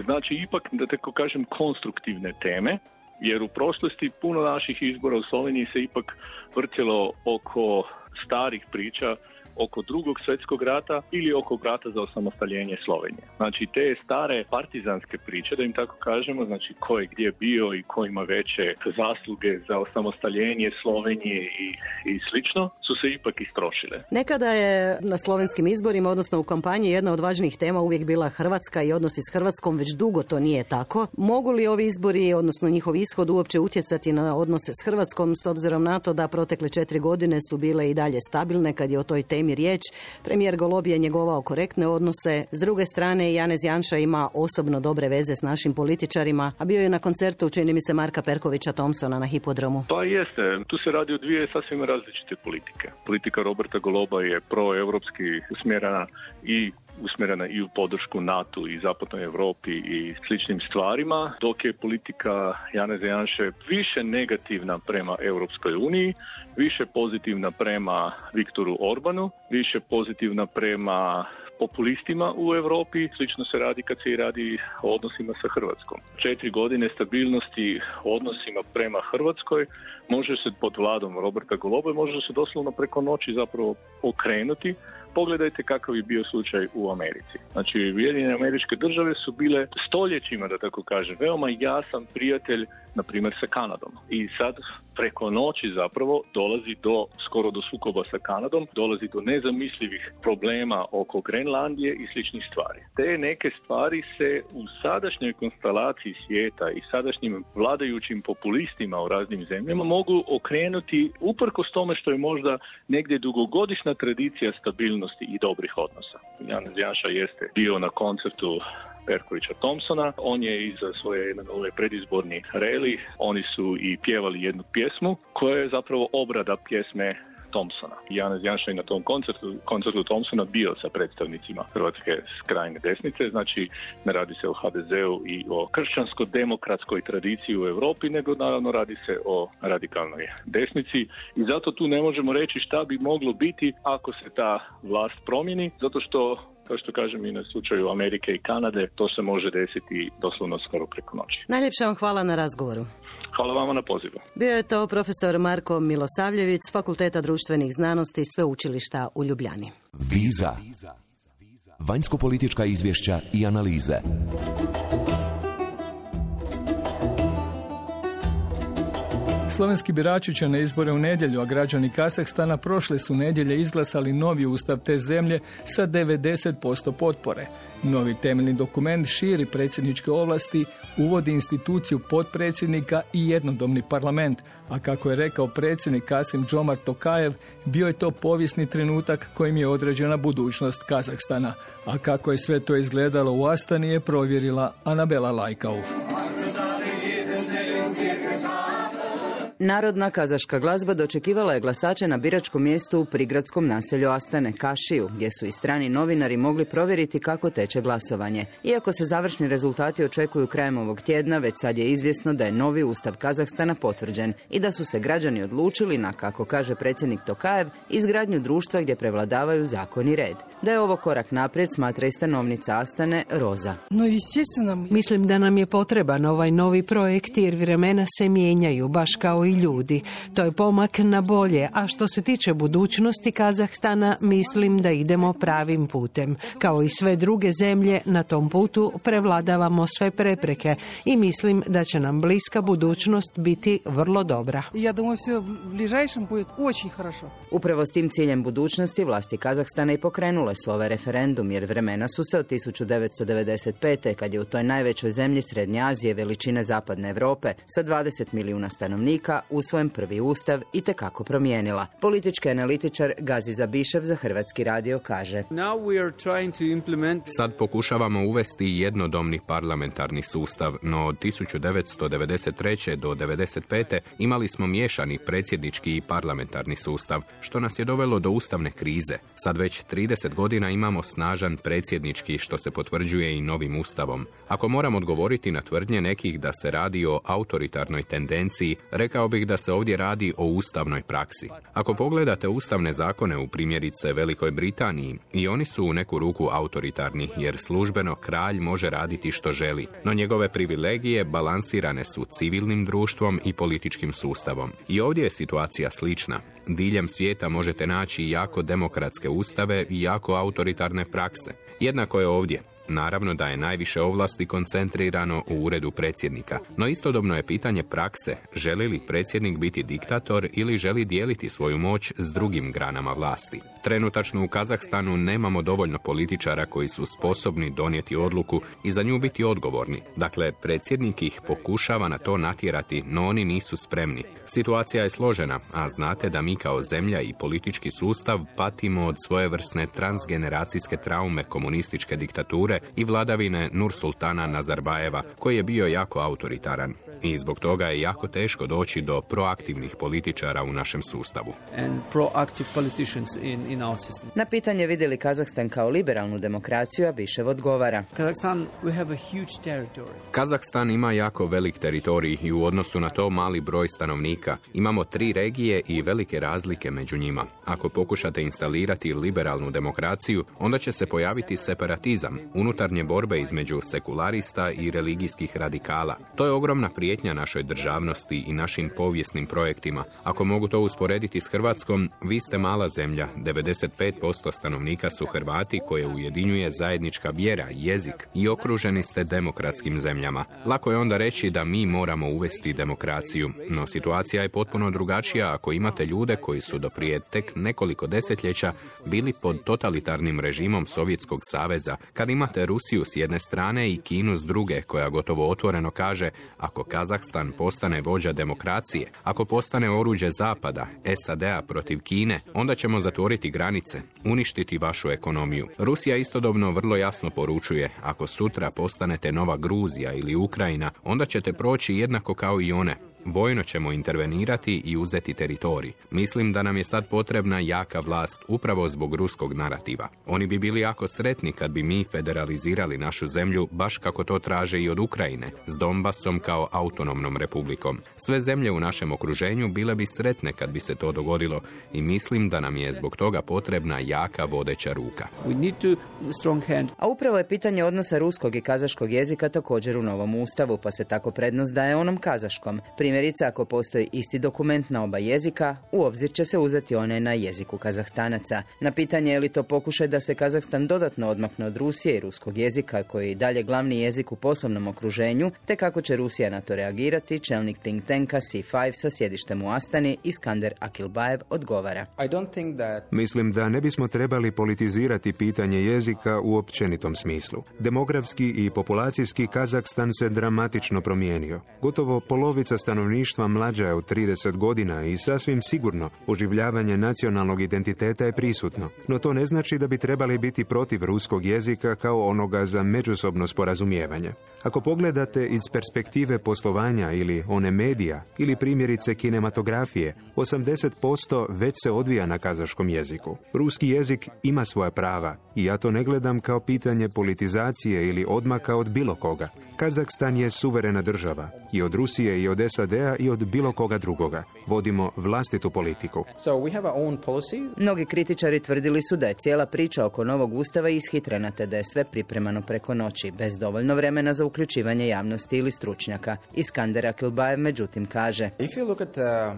Znači, ipak, da tako kažem, konstruktivne teme, jer u prošlosti puno naših izbora u Sloveniji se ipak vrtjelo oko starih priča, oko drugog svjetskog rata ili oko rata za osamostaljenje Slovenije. Znači te stare partizanske priče, da im tako kažemo, znači ko je gdje bio i ko ima veće zasluge za osamostaljenje Slovenije i, i slično, su se ipak istrošile. Nekada je na slovenskim izborima, odnosno u kampanji, jedna od važnijih tema uvijek bila Hrvatska i odnosi s Hrvatskom, već dugo to nije tako. Mogu li ovi izbori, odnosno njihov ishod, uopće utjecati na odnose s Hrvatskom, s obzirom na to da protekle četiri godine su bile i dalje stabilne kad je o toj temi riječ? Premijer Golob je njegovao korektne odnose. S druge strane, Janez Janša ima osobno dobre veze s našim političarima, a bio je na koncertu, čini mi se, Marka Perkovića Thompsona na hipodromu. Pa jeste. Tu se radi o dvije sasvim različite politike. Politika Roberta Goloba je proevropski usmjerena i usmjerena i u podršku NATO i zapadnoj Europi i sličnim stvarima, dok je politika Janeza Janše više negativna prema Europskoj uniji, više pozitivna prema Viktoru Orbanu, više pozitivna prema populistima u Europi. Slično se radi kad se i radi o odnosima sa Hrvatskom. Četiri godine stabilnosti odnosima prema Hrvatskoj može se pod vladom Roberta Goloba može se doslovno preko noći zapravo okrenuti. Pogledajte kakav je bio slučaj u Americi. Znači, Ujedinjene Američke Države su bile stoljećima, da tako kažem, veoma jasan prijatelj, na primjer, sa Kanadom. I sad preko noći zapravo dolazi do, skoro do sukoba sa Kanadom, dolazi do nezamislivih problema oko Grenlandije i sličnih stvari. Te neke stvari se u sadašnjoj konstelaciji svijeta i sadašnjim vladajućim populistima u raznim zemljama mogu okrenuti uprkos tome što je možda negdje dugogodišnja tradicija stabilnosti i dobrih odnosa. Janez Janša jeste bio na koncertu Perkovića Thompsona, on je iza svoje jedan ovaj predizborni reli, oni su i pjevali jednu pjesmu koja je zapravo obrada pjesme Thompsona. Janez Janša je na tom koncertu, koncertu Thompsona bio sa predstavnicima Hrvatske krajne desnice, znači ne radi se o ha de zeu i o kršćansko-demokratskoj tradiciji u Europi, nego naravno radi se o radikalnoj desnici i zato tu ne možemo reći šta bi moglo biti ako se ta vlast promijeni, zato što, kao što kažem i na slučaju Amerike i Kanade, to se može desiti doslovno skoro preko noći. Najljepša vam hvala na razgovoru. Hvala vama na pozivu. Bio je to profesor Marko Milosavljević s Fakulteta društvenih znanosti Sveučilišta u Ljubljani. Viza. Vanjsko-politička izvješća i analize. Slovenski birači će na izbore u nedjelju, a građani Kazahstana prošle su nedjelje izglasali novi ustav te zemlje sa devedeset posto potpore. Novi temeljni dokument širi predsjedničke ovlasti, uvodi instituciju potpredsjednika i jednodomni parlament, a kako je rekao predsjednik Kasim-Džomart Tokajev, bio je to povijesni trenutak kojim je određena budućnost Kazahstana. A kako je sve to izgledalo u Astani je provjerila Anabela Lajkauf. Narodna kazaška glazba dočekivala je glasače na biračkom mjestu u prigradskom naselju Astane, Kašiju, gdje su i strani novinari mogli provjeriti kako teče glasovanje. Iako se završni rezultati očekuju krajem ovog tjedna, već sad je izvjesno da je novi ustav Kazahstana potvrđen i da su se građani odlučili na, kako kaže predsjednik Tokajev, izgradnju društva gdje prevladavaju zakon i red. Da je ovo korak naprijed, smatra i stanovnica Astane, Roza. Mislim da nam je potreban ovaj novi projekt jer vremena se mijenjaju, baš kao i ljudi. To je pomak na bolje, a što se tiče budućnosti Kazahstana, mislim da idemo pravim putem. Kao i sve druge zemlje, na tom putu prevladavamo sve prepreke i mislim da će nam bliska budućnost biti vrlo dobra. Upravo s tim ciljem budućnosti vlasti Kazahstana i pokrenule su ovaj referendum, jer vremena su se od tisuću devetsto devedeset pete. kad je u toj najvećoj zemlji Srednje Azije veličine Zapadne Europe sa dvadeset milijuna stanovnika usvojen prvi ustav i tekako promijenila. Politički analitičar Gazi Zabišev za Hrvatski radio kaže: Sad pokušavamo uvesti jednodomni parlamentarni sustav, no od tisuću devetsto devedeset treće do devedeset pete imali smo miješani predsjednički i parlamentarni sustav, što nas je dovelo do ustavne krize. Sad već trideset godina imamo snažan predsjednički, što se potvrđuje i novim ustavom. Ako moram odgovoriti na tvrdnje nekih da se radi o autoritarnoj tendenciji, rekao bih da se ovdje radi o ustavnoj praksi. Ako pogledate ustavne zakone u primjerice Velikoj Britaniji, i oni su u neku ruku autoritarni, jer službeno kralj može raditi što želi, no njegove privilegije balansirane su civilnim društvom i političkim sustavom. I ovdje je situacija slična. Diljem svijeta možete naći jako demokratske ustave i jako autoritarne prakse. Jednako je ovdje. Naravno da je najviše ovlasti koncentrirano u uredu predsjednika, no istodobno je pitanje prakse, želi li predsjednik biti diktator ili želi dijeliti svoju moć s drugim granama vlasti. Trenutačno u Kazahstanu nemamo dovoljno političara koji su sposobni donijeti odluku i za nju biti odgovorni. Dakle, predsjednik ih pokušava na to natjerati, no oni nisu spremni. Situacija je složena, a znate da mi kao zemlja i politički sustav patimo od svojevrsne transgeneracijske traume komunističke diktature i vladavine Nursultana Nazarbajeva, koji je bio jako autoritaran. I zbog toga je jako teško doći do proaktivnih političara u našem sustavu. Na pitanje vidi li Kazahstan kao liberalnu demokraciju, Abišev odgovara: Kazahstan ima jako velik teritorij i u odnosu na to mali broj stanovnika. Imamo tri regije i velike razlike među njima. Ako pokušate instalirati liberalnu demokraciju, onda će se pojaviti separatizam, unutarnje borbe između sekularista i religijskih radikala. To je ogromna prijetnja našoj državnosti i našim povijesnim projektima. Ako mogu to usporediti s Hrvatskom, vi ste mala zemlja, devedeset pet posto stanovnika su Hrvati koje ujedinjuje zajednička vjera, jezik i okruženi ste demokratskim zemljama. Lako je onda reći da mi moramo uvesti demokraciju, no situacija je potpuno drugačija ako imate ljude koji su do prije tek nekoliko desetljeća bili pod totalitarnim režimom Sovjetskog saveza, kad imate Rusiju s jedne strane i Kinu s druge, koja gotovo otvoreno kaže ako Kazahstan postane vođa demokracije, ako postane oruđe Zapada, S A D-a protiv Kine, onda ćemo zatvoriti granice, uništiti vašu ekonomiju. Rusija istodobno vrlo jasno poručuje, ako sutra postanete nova Gruzija ili Ukrajina, onda ćete proći jednako kao i one. Vojno ćemo intervenirati i uzeti teritorij. Mislim da nam je sad potrebna jaka vlast upravo zbog ruskog narativa. Oni bi bili jako sretni kad bi mi federalizirali našu zemlju baš kako to traže i od Ukrajine, s Donbasom kao autonomnom republikom. Sve zemlje u našem okruženju bile bi sretne kad bi se to dogodilo i mislim da nam je zbog toga potrebna jaka vodeća ruka. A upravo je pitanje odnosa ruskog i kazaškog jezika također u novom ustavu, pa se tako prednost daje onom kazaškom. Primjerice, ako postoji isti dokument na oba jezika, u obzir će se uzeti onaj na jeziku Kazahstanaca. Na pitanje je li to pokušaj da se Kazahstan dodatno odmakne od Rusije i ruskog jezika, koji je i dalje glavni jezik u poslovnom okruženju, te kako će Rusija na to reagirati, čelnik think tanka C pet sa sjedištem u Astani, Iskander Akilbaev, odgovara. Mislim da ne bismo trebali politizirati pitanje jezika u općenitom smislu. Demografski i populacijski Kazahstan se dramatično promijenio. Gotovo polovica stanovništva mlađa je od trideset godina i sasvim sigurno oživljavanje nacionalnog identiteta je prisutno. No to ne znači da bi trebali biti protiv ruskog jezika kao onoga za međusobno sporazumijevanje. Ako pogledate iz perspektive poslovanja ili one medija ili primjerice kinematografije, osamdeset posto već se odvija na kazaškom jeziku. Ruski jezik ima svoja prava i ja to ne gledam kao pitanje politizacije ili odmaka od bilo koga. Kazahstan je suverena država i od Rusije i od S A D-a i od bilo koga drugoga. Vodimo vlastitu politiku. Mnogi kritičari tvrdili su da je cijela priča oko novog ustava ishitrena, te da je sve pripremano preko noći, bez dovoljno vremena za uključivanje javnosti ili stručnjaka. Iskander Akilbaev međutim kaže: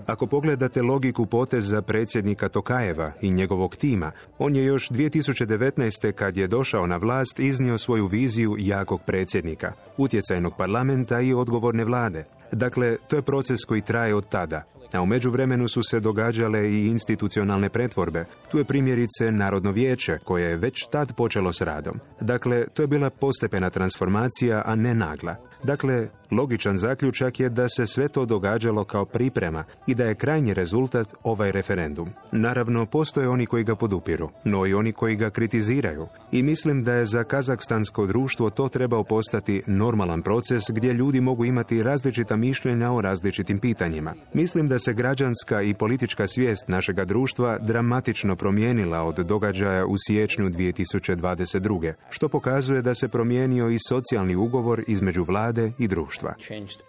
Ako pogledate logiku poteza predsjednika Tokajeva i njegovog tima, on je još dvije tisuće devetnaeste. kad je došao na vlast iznio svoju viziju jakog predsjednika, utjecajnog parlamenta i odgovorne vlade. Dakle, to je proces koji traje od tada. A u međuvremenu su se događale i institucionalne pretvorbe. Tu je primjerice Narodno vijeće, koje je već tad počelo s radom. Dakle, to je bila postepena transformacija, a ne nagla. Dakle, logičan zaključak je da se sve to događalo kao priprema i da je krajnji rezultat ovaj referendum. Naravno, postoje oni koji ga podupiru, no i oni koji ga kritiziraju. I mislim da je za kazahstansko društvo to trebao postati normalan proces gdje ljudi mogu imati različita mišljenja o različitim pitanjima. Mislim da se građanska i politička svijest našega društva dramatično promijenila od događaja u siječnju dvije tisuće dvadeset druge, što pokazuje da se promijenio i socijalni ugovor između vlade i društva.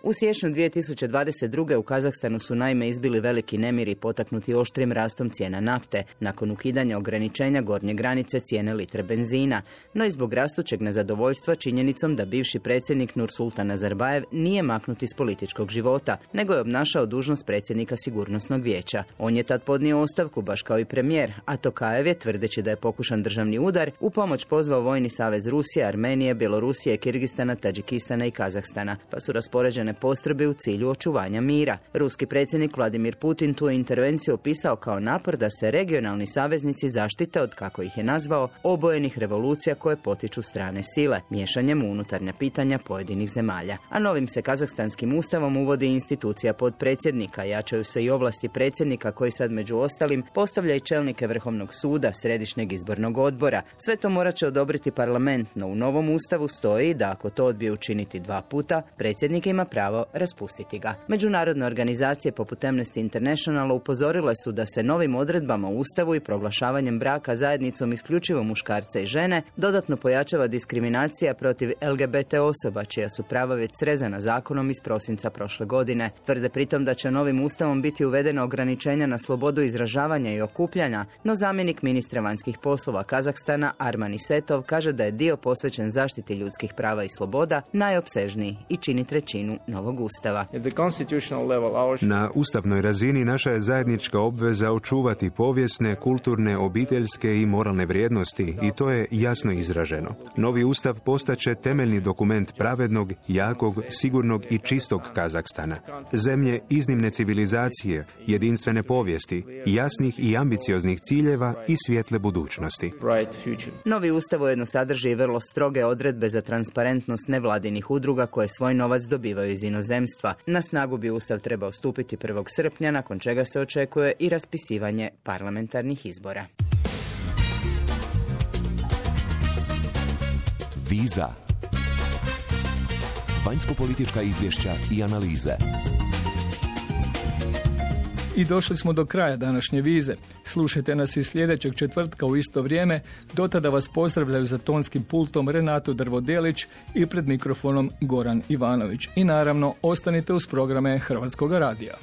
U siječnju dvije tisuće dvadeset druge. u Kazahstanu su naime izbili veliki nemiri potaknuti oštrim rastom cijena nafte, nakon ukidanja ograničenja gornje granice cijene litre benzina, no i zbog rastućeg nezadovoljstva činjenicom da bivši predsjednik Nursultan Nazarbajev nije maknut iz političkog života, nego je obnašao dužnost predsjednika Sigurnosnog vijeća. On je tad podnio ostavku, baš kao i premijer, a Tokajev je, tvrdeći da je pokušan državni udar, u pomoć pozvao Vojni savez Rusije, Armenije, Bjelorusije, Kirgistana, Tadžikistana i Kazahstana, pa su raspoređene postrojbe u cilju očuvanja mira. Ruski predsjednik Vladimir Putin tu intervenciju opisao kao napor da se regionalni saveznici zaštite od, kako ih je nazvao, obojenih revolucija koje potiču strane sile, miješanjem u unutarnja pitanja pojedinih zemalja. A novim se kazahstanskim ustavom uvodi institucija podpredsjednika, jačaju se i ovlasti predsjednika koji sad među ostalim postavlja i čelnike Vrhovnog suda, Središnjeg izbornog odbora. Sve to morat će odobriti parlament, no u novom ustavu stoji da ako to odbije učiniti dva dva puta, predsjednik ima pravo raspustiti ga. Međunarodne organizacije poput Amnesty International upozorile su da se novim odredbama u Ustavu i proglašavanjem braka zajednicom isključivo muškarca i žene dodatno pojačava diskriminacija protiv L G B T osoba, čija su prava već srezana zakonom iz prosinca prošle godine. Tvrde pritom da će novim Ustavom biti uvedena ograničenja na slobodu izražavanja i okupljanja, no zamjenik ministra vanjskih poslova Kazahstana Arman Isetov kaže da je dio posvećen zaštiti ljudskih prava i sloboda najopsežniji i čini trećinu novog Ustava. Na ustavnoj razini naša je zajednička obveza očuvati povijesne, kulturne, obiteljske i moralne vrijednosti i to je jasno izraženo. Novi Ustav postaće temeljni dokument pravednog, jakog, sigurnog i čistog Kazahstana. Zemlje iznimne civilizacije, jedinstvene povijesti, jasnih i ambicioznih ciljeva i svjetle budućnosti. Novi Ustav ujedno sadrži i vrlo stroge odredbe za transparentnost nevladinih udruga koje svoj novac dobivaju iz inozemstva. Na snagu bi Ustav trebao stupiti prvog srpnja, nakon čega se očekuje i raspisivanje parlamentarnih izbora. Viza. Vanjsko-politička izvješća i analize. I došli smo do kraja današnje vize. Slušajte nas i sljedećeg četvrtka u isto vrijeme. Do tada vas pozdravljaju za tonskim pultom Renato Drvodelić i pred mikrofonom Goran Ivanović. I naravno, ostanite uz programe Hrvatskog radija.